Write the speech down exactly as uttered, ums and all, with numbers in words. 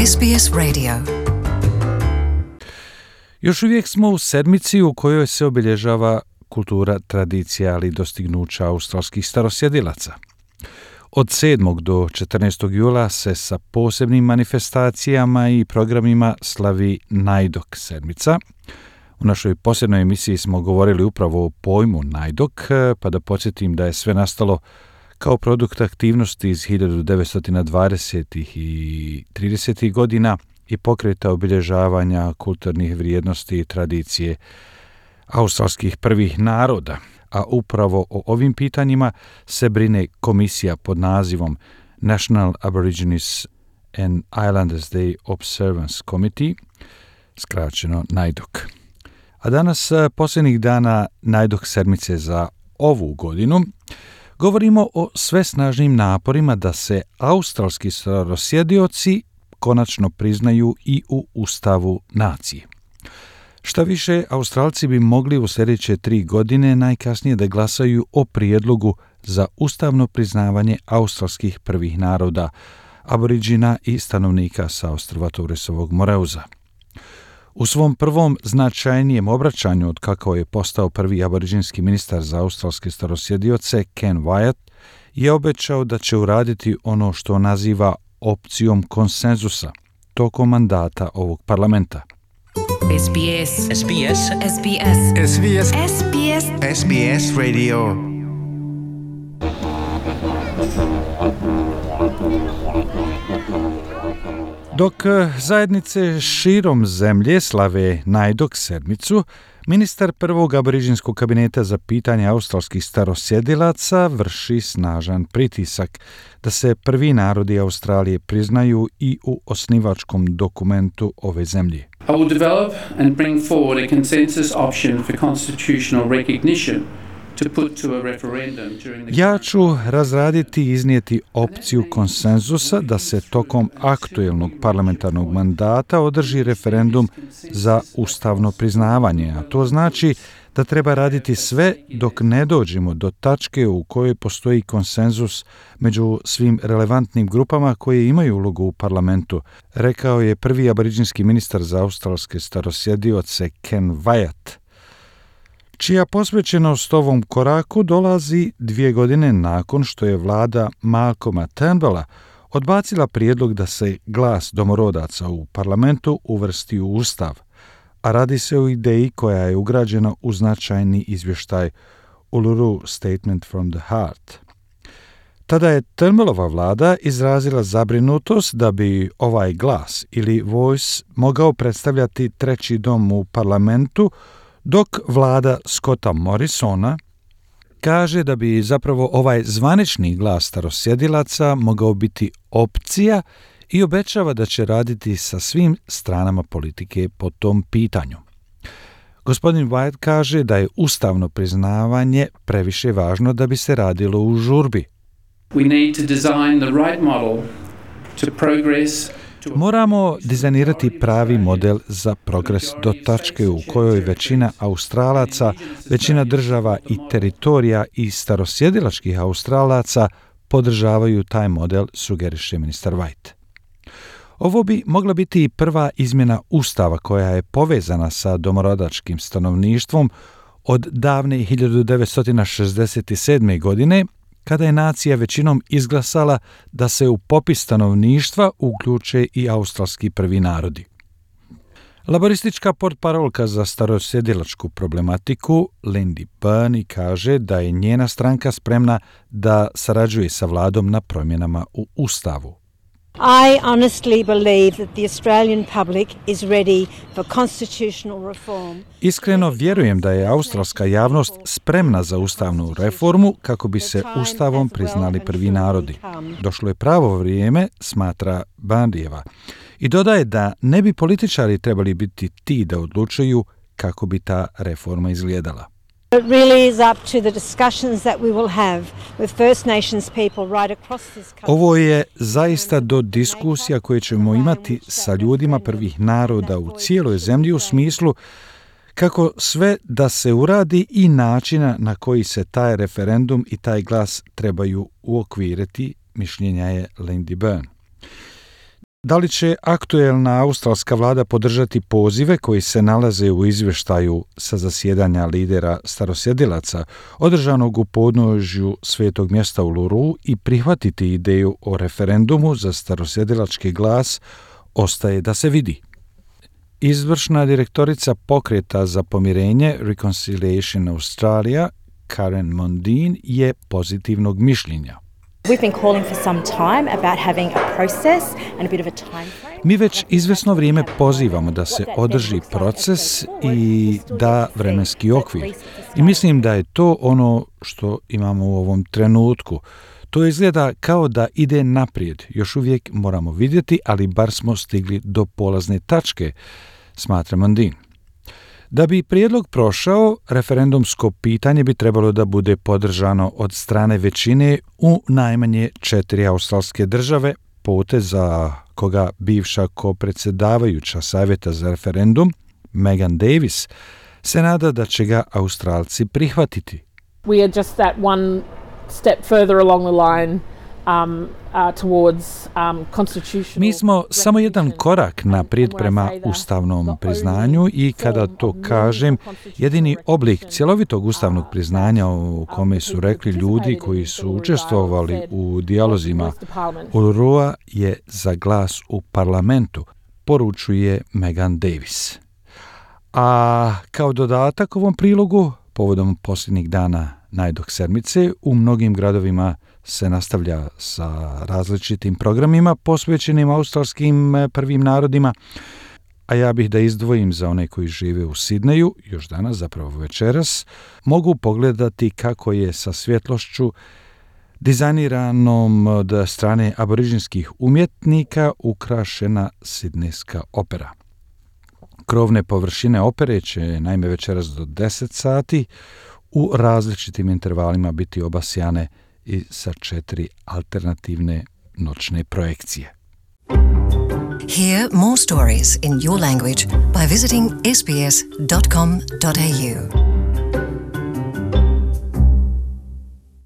S B S Radio. Još uvijek smo u sedmici u kojoj se obilježava kultura, tradicija, ali i dostignuća australskih starosjedilaca. Od sedmog do četrnaestog jula se sa posebnim manifestacijama i programima slavi Najdok sedmica. U našoj posebnoj emisiji smo govorili upravo o pojmu Najdok, pa da podsjetim da je sve nastalo kao produkt aktivnosti iz hiljadu devetsto dvadesetih i tridesetih godina i pokreta obilježavanja kulturnih vrijednosti i tradicije australskih prvih naroda. A upravo o ovim pitanjima se brine komisija pod nazivom National Aborigines and Islanders Day Observance Committee, skraćeno Najdok. A danas, posljednjih dana Najdok sedmice za ovu godinu, govorimo o sve snažnim naporima da se australski starosjedioci konačno priznaju i u Ustavu nacije. Šta više, Australci bi mogli u sljedeće tri godine najkasnije da glasaju o prijedlogu za ustavno priznavanje australskih prvih naroda, aboriđina i stanovnika sa ostrva Torresovog Moreuza. U svom prvom značajnijem obraćanju od kako je postao prvi aboriđinski ministar za australske starosjedioce, Ken Wyatt, je obećao da će uraditi ono što naziva opcijom konsenzusa tokom mandata ovog parlamenta. S B S S B S S B S S B S S B S S B S Radio. Dok zajednice širom zemlje slave Najdok sedmicu, ministar prvog aboriđinskog kabineta za pitanje australskih starosjedilaca vrši snažan pritisak da se prvi narodi Australije priznaju i u osnivačkom dokumentu ove zemlje. I will develop and bring forward a consensus option for constitutional recognition to put to a referendum during the... Ja ću razraditi i iznijeti opciju konsenzusa da se tokom aktuelnog parlamentarnog mandata održi referendum za ustavno priznavanje, a to znači da treba raditi sve dok ne dođemo do tačke u kojoj postoji konsenzus među svim relevantnim grupama koje imaju ulogu u parlamentu, rekao je prvi aboriđinski ministar za australske starosjedioce Ken Wyatt, čija posvećenost ovom koraku dolazi dvije godine nakon što je vlada Malcolma Turnbulla odbacila prijedlog da se glas domorodaca u parlamentu uvrsti u Ustav, a radi se o ideji koja je ugrađena u značajni izvještaj Uluru Statement from the Heart. Tada je Turnbullova vlada izrazila zabrinutost da bi ovaj glas ili voice mogao predstavljati treći dom u parlamentu, dok vlada Scotta Morrisona kaže da bi zapravo ovaj zvanični glas starosjedilaca mogao biti opcija i obećava da će raditi sa svim stranama politike po tom pitanju. Gospodin Wyatt kaže da je ustavno priznavanje previše važno da bi se radilo u žurbi. We need to design the right model to progress. Moramo dizajnirati pravi model za progres do tačke u kojoj većina Australaca, većina država i teritorija i starosjedilačkih Australaca podržavaju taj model, sugeriše ministar White. Ovo bi mogla biti i prva izmjena Ustava koja je povezana sa domorodačkim stanovništvom od davne hiljadu devetsto šezdeset sedme. godine, kada je nacija većinom izglasala da se u popis stanovništva uključe i australski prvi narodi. Laboristička portparolka za starosjedilačku problematiku Lindy Byrne kaže da je njena stranka spremna da sarađuje sa vladom na promjenama u Ustavu. I honestly believe that the Australian public is ready for constitutional reform. Iskreno vjerujem da je australska javnost spremna za ustavnu reformu kako bi se ustavom priznali prvi narodi. Došlo je pravo vrijeme, smatra Bandijeva. I dodaje da ne bi političari trebali biti ti da odlučuju kako bi ta reforma izgledala. It really is up to the discussions that we will have with First Nations people right across this country. Ovo je zaista do diskusija koje ćemo imati sa ljudima prvih naroda u cijeloj zemlji u smislu kako sve da se uradi i načina na koji se taj referendum i taj glas trebaju uokviriti, mišljenja je Lindy Byrne. Da li će aktuelna australska vlada podržati pozive koji se nalaze u izvještaju sa zasjedanja lidera starosjedilaca održanog u podnožju svetog mjesta u Uluru i prihvatiti ideju o referendumu za starosjedilački glas, ostaje da se vidi. Izvršna direktorica pokreta za pomirenje Reconciliation Australia, Karen Mondine, je pozitivnog mišljenja. We've been calling for some time about having a process and a bit of a time frame. Mi već izvesno vrijeme pozivamo da se održi proces i da vremenski okvir. I mislim da je to ono što imamo u ovom trenutku. To izgleda kao da ide naprijed. Još uvijek moramo vidjeti, ali bar smo stigli do polazne tačke, smatra Mondine. Da bi prijedlog prošao, referendumsko pitanje bi trebalo da bude podržano od strane većine u najmanje četiri australske države, potez za koga bivša kopredsjedavajuća savjeta za referendum, Megan Davis, se nada da će ga Australci prihvatiti. We are just that one step further along the line um, uh, towards um, constitutional. Mi smo samo jedan korak naprijed prema ustavnom priznanju i kada to kažem, jedini oblik cjelovitog ustavnog priznanja u kome su rekli ljudi koji su učestvovali u dijalozima Ulurua je za glas u parlamentu, poručuje Megan Davis. A kao dodatak ovom prilogu, povodom posljednjih dana najdog sedmice, u mnogim gradovima se nastavlja sa različitim programima posvećenim australskim prvim narodima, a ja bih da izdvojim za one koji žive u Sidneju, još danas, zapravo večeras, mogu pogledati kako je sa svjetlošću dizajniranom od strane aboriđinskih umjetnika ukrašena sidnejska opera. Krovne površine opere će naime večeras do deset sati u različitim intervalima biti obasjane i sa četiri alternativne noćne projekcije. Hear more stories in your language by visiting s b s dot com dot a u.